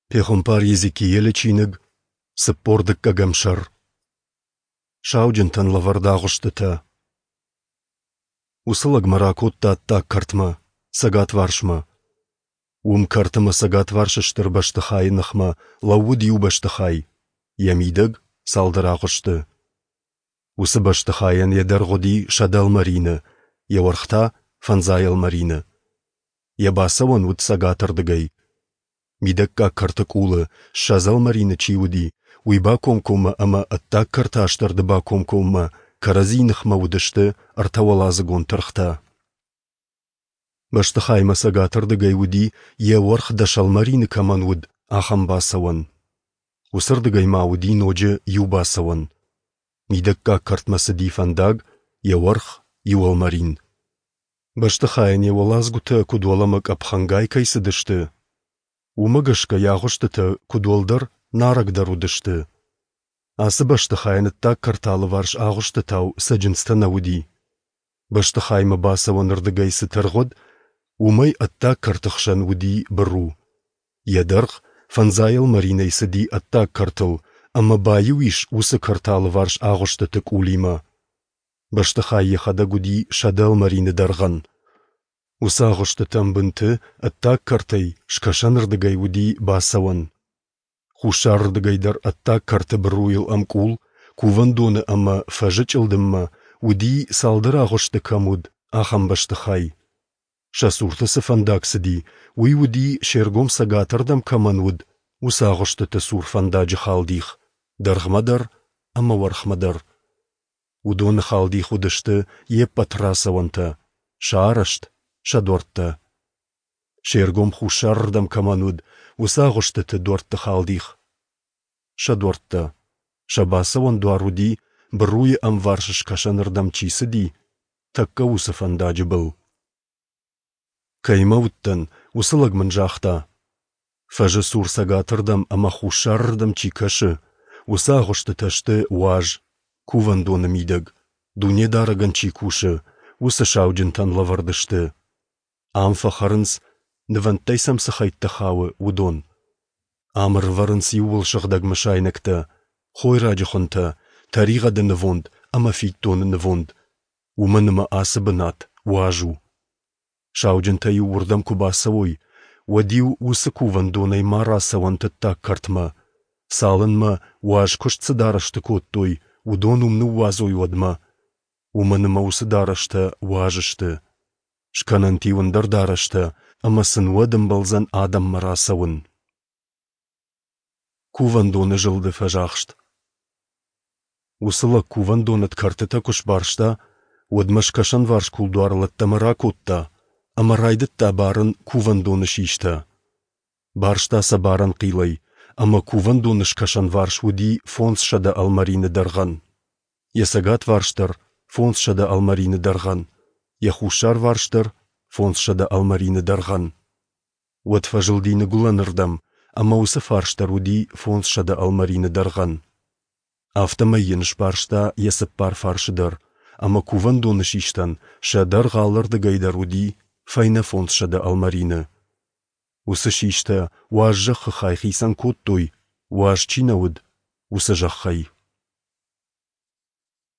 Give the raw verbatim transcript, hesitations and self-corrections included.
Пехуымпар Йезекиелы чиныг, цыппор дыккӕгӕм сӕр. Сауджынтӕн лӕвӕрд агъуыстытӕ. Уыцы лӕг мӕ ракодта ӕддаг кӕртмӕ, цӕгатварсмӕ. Уым кӕрты мӕ цӕгатварсы стыр бӕстыхайы ныхмӕ лӕууыд иу бӕстыхай, йӕ мидӕг цалдӕр агъуысты. Уыцы бӕстыхайӕн йӕ дӕргъ уыди сӕдӕ ӕлмӕрины, йӕ уӕрх та фӕндзай ӕлмӕрины. Йӕ бацӕуӕн уыд цӕгатырдыгӕй. Мидӕггаг кӕрты къулы, ссӕдз ӕлмӕрины чи уыди, уый бакомкоммӕ ӕмӕ ӕддаг кӕрты астӕрды бакомкоммӕ кӕрӕдзи ныхмӕ уыдысты ӕртӕуӕладзыгон тыргътӕ. Бӕстыхаймӕ цӕгатырдыгӕй уыди, йӕ уӕрх дӕс ӕлмӕрины кӕмӕн уыд, ахӕм бацӕуӕн. Уыцырдыгӕй ма уыди ноджы иу бацӕуӕн. Мидӕггаг кӕртмӕ цыди фӕндаг, йӕ уӕрх иу ӕлмӕрин. Бӕстыхайӕн йӕ уӕладзгуытӕ куыд уӕлӕмӕ къӕпхӕнгай кӕй цыдысты, уымӕ гӕсгӕ йӕ агъуыстытӕ куыд уӕлдӕр, нарӕгдӕр уыдысты. Ацы бӕстыхайӕн ӕддаг кӕрты алыварс агъуыстытау цӕджындзтӕ нӕ уыди. Бӕстыхаймӕ бацӕуӕнырдыгӕй цы тыргъ уыд, уымӕй ӕддаг кӕрты хсӕн уыди быру. Йӕ дӕргъ фӕндзай ӕлмӕринӕй цыди ӕддаг кӕртыл ӕмӕ баиу ис уыцы кӕрты алыварс агъуыстыты къулимӕ. Бӕстыхай йӕхӕдӕг уыди сӕдӕ ӕлмӕрины дӕргъӕн. Уыцы агъуыстытӕм бынты, ӕддаг кӕртӕй, скӕсӕнырдыгӕй уыди бацӕуӕн. Хуссарырдыгӕй дӕр ӕддаг кӕрты быруйыл ӕмкъул, кувӕндоны ӕмӕ фӕзы чъылдыммӕ, уыди, цалдӕр агъуысты кӕм уыд, ахӕм бӕстыхай. Сӕ цурты цы фӕндаг цыди, уый уыди, се ргом цӕгатырдӕм кӕмӕн уыд, уыцы агъуыстыты цур фӕндаджы халдих, дӕргъмӕ дӕр ӕмӕ уӕрхмӕ дӕр. Уыдоны халдих уыдысты йе ппӕт рацӕуӕнтӕ, сӕ арӕзт, сӕ дуӕрттӕ. Се ргом хуссарырдӕм кӕмӕн уыд, уыцы агъуыстыты дуӕртты халдих, сӕ дуӕрттӕ. Сӕ бацӕуӕн дуар уыди, быруйы ӕмварс скӕсӕнырдӕм чи цыди, тӕккӕ уыцы фӕндаджы был. Кӕимӕ уыдтӕн, уыцы лӕг мын загъта: Фӕзы цур цӕгатырдӕм ӕмӕ хуссарырдӕм чи кӕсы, уыцы агъуыстытӕ сты уаз, кувӕндоны мидӕг, Дунедарӕгӕн чи кусы, уыцы сауджынтӕн лӕвӕрд сты. Ам фӕхӕрынц, нывӕндтӕй сӕм цы хӕйттӕ хауы, уыдон. Ам ӕрывӕрынц иууылсыгъдӕг мысайнӕгтӕ, хойраджы хуынтӕ, тӕригъӕды нывонд ӕмӕ фиддоны нывонд, уымӕн ӕмӕ ацы бынат уаз у. Сауджынтӕ-иу уырдӕм куы бацӕуой, уӕд-иу уыцы кувӕндонӕй ма рацӕуӕнт ӕддаг кӕртмӕ, цалынмӕ, уаз куыст цы дарӕсты кодтой, уыдон уым ныууадзой, уӕдмӕ, уымӕн ӕмӕ уыцы дарӕстӕ уаз сты. Скӕнӕнт-иу ӕндӕр дарӕстӕ, ӕмӕ сын уӕд ӕмбӕлдзӕн адӕммӕ рацӕуын. Кувӕндоны зылды фӕзахст. Уыцы лӕг кувӕндоны ӕд кӕртытӕ куы сбарста, уӕд мӕ скӕсӕнварс кулдуарыл ӕддӕмӕ ракодта ӕмӕ райдыдта барын кувӕндоны систӕ. Барста сӕ барӕн хъилӕй, ӕмӕ кувӕндоны скӕсӕнварс уыди фондзсӕдӕ ӕлмӕрины дӕргъӕн. Йӕ цӕгатварс дӕр фондзсӕдӕ ӕлмӕрины дӕргъӕн, йӕ хуссарварс дӕр фондзсӕдӕ ӕлмӕрины дӕргъӕн. Уӕд фӕзылди ныгуылӕнырдӕм, ӕмӕ уыцы фарс дӕр уыди фондзсӕдӕ ӕлмӕрины дӕргъӕн. Афтӕмӕй йын сбарста йӕ цыппар фарсы дӕр, ӕмӕ кувӕндоны систӕн сӕ дӕргъ алырдыгӕй дӕр уыди фӕйнӕ фондзсӕдӕ ӕлмӕрины. Уыцы систӕ уаз зӕххы хай хицӕн кодтой, уаз чи нӕ уыд, уыцы зӕххӕй.